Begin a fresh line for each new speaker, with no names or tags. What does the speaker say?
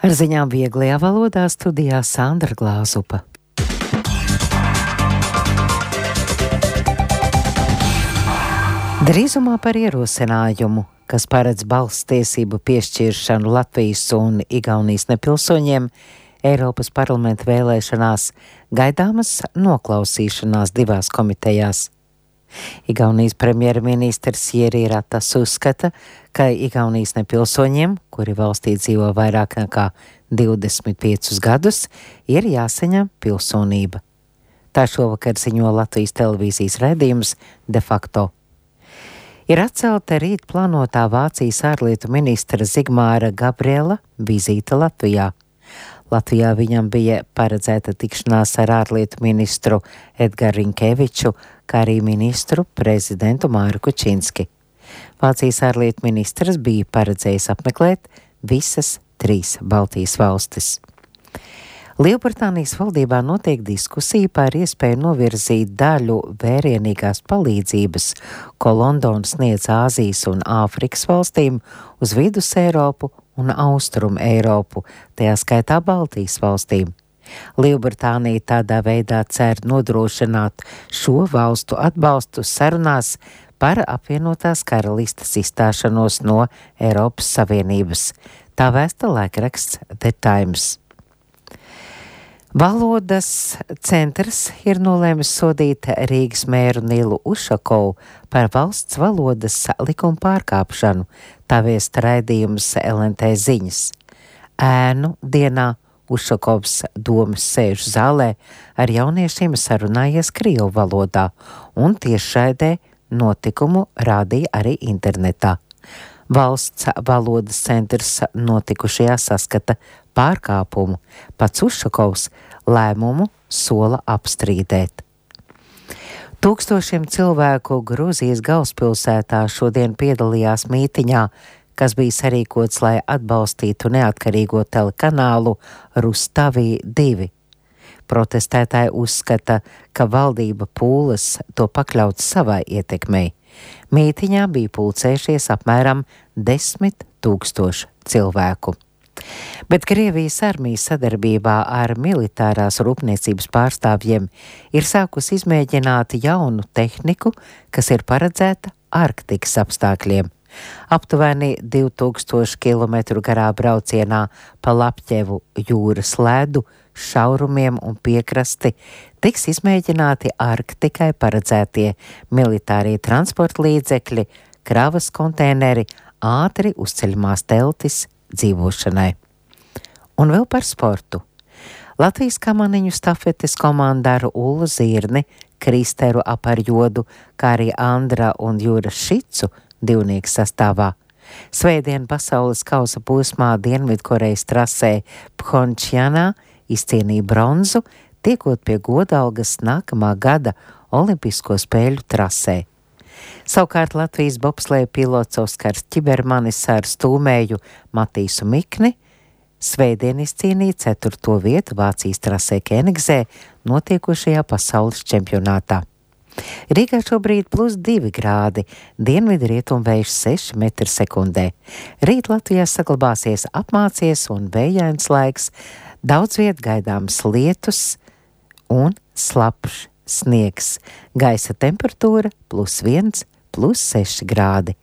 Ar ziņām vieglajā valodā studijā Sandra Glāzupa. Drīzumā par ierosinājumu, kas paredz balss tiesību piešķiršanu Latvijas un Igaunijas nepilsoņiem, Eiropas parlamenta vēlēšanās gaidāmas noklausīšanās divās komitejās. Igaunijas premjerministrs Jiri Ratas uzskata, ka Igaunijas nepilsoņiem, kuri valstī dzīvo vairāk nekā 25 gadus, ir jāsaņem pilsonība. Tā šovakar ziņo Latvijas televīzijas raidījums De facto. Ir atcelta rīt plānotā Vācijas ārlietu ministra Zigmāra Gabriela vizīte Latvijā. Latvijā viņam bija paredzēta tikšanās ar ārlietu ministru Edgaru Rinkeviču, kā arī ministru prezidentu Māru Kučinski. Vācijas ārlietu ministrs bija paredzējis apmeklēt visas 3 Baltijas valstis. Lielbritānijas valdībā notiek diskusija par iespēju novirzīt daļu vērienīgās palīdzības, ko Londona sniedz Āzijas un Āfrikas valstīm, uz Vidus Eiropu un Austrumu Eiropu, tajā skaitā Baltijas valstīm. Lielbritānija tādā veidā cer nodrošināt šo valstu atbalstu sarunās par apvienotās karalistes izstāšanos no Eiropas Savienības. Tā vēsta laikraksts The Times. Valodas centrs ir nolēmis sodīt Rīgas mēru Nilu Ušakovu par valsts valodas likuma pārkāpšanu, tā viest raidījums LNT ziņas. Ēnu dienā Ušakovs domas sēžu zālē ar jauniešiem sarunājies krievu valodā un tiešraidē notikumu rādīja arī internetā. Valsts valodas centrs notikušajā saskata pārkāpumu. Pats Ušakovs lēmumu sola apstrīdēt. Tūkstošiem cilvēku Grūzijas galvaspilsētā šodien piedalījās mītiņā, kas bija sarīkots, lai atbalstītu neatkarīgo telekanālu Rustavi 2. Protestētāji uzskata, ka valdība pūlas to pakļaut savai ietekmei. Mītiņā bija pulcējušies apmēram 10 000 cilvēku. Bet Krievijas armija sadarbībā ar militārās rūpniecības pārstāvjiem ir sākusi izmēģināt jaunu tehniku, kas ir paredzēta Arktikas apstākļiem. Aptuveni 2000 km garā braucienā pa Lapķevu jūras ledu, šaurumiem un piekrasti tiks izmēģināti Arktikai paredzētie militārie transporta līdzekļi, kravas konteineri, ātri uzceļamās teltis dzīvošanai. Un vēl par sportu. Latvijas kamaniņu stafetes komanda ar Ullu Zirni, Kristeru Aparjodu, kā arī Andra un Jūras Šicu divnieku sastāvā. Svētdien pasaules kausa posmā Dienvidkorejas trasē Phončjanā izcīnīja bronzu, tiekot pie godalgas nākamā gada Olimpisko spēļu trasē. Savukārt Latvijas bobsleja pilots Oskars Ķibermanis ar stūmēju Matīsu Mikni svētdien izcīnīja 4. vietu Vācijas trasē Kenigzē notiekošajā pasaules čempionātā. Rīgā šobrīd +2 grādi, dienvidu rietumvējš 6 m/sekundē. Rīt Latvijā saglabāsies apmācies un vējains laiks, daudz viet gaidāms lietus un slapjš sniegs. Gaisa temperatūra +1, +6 grādi.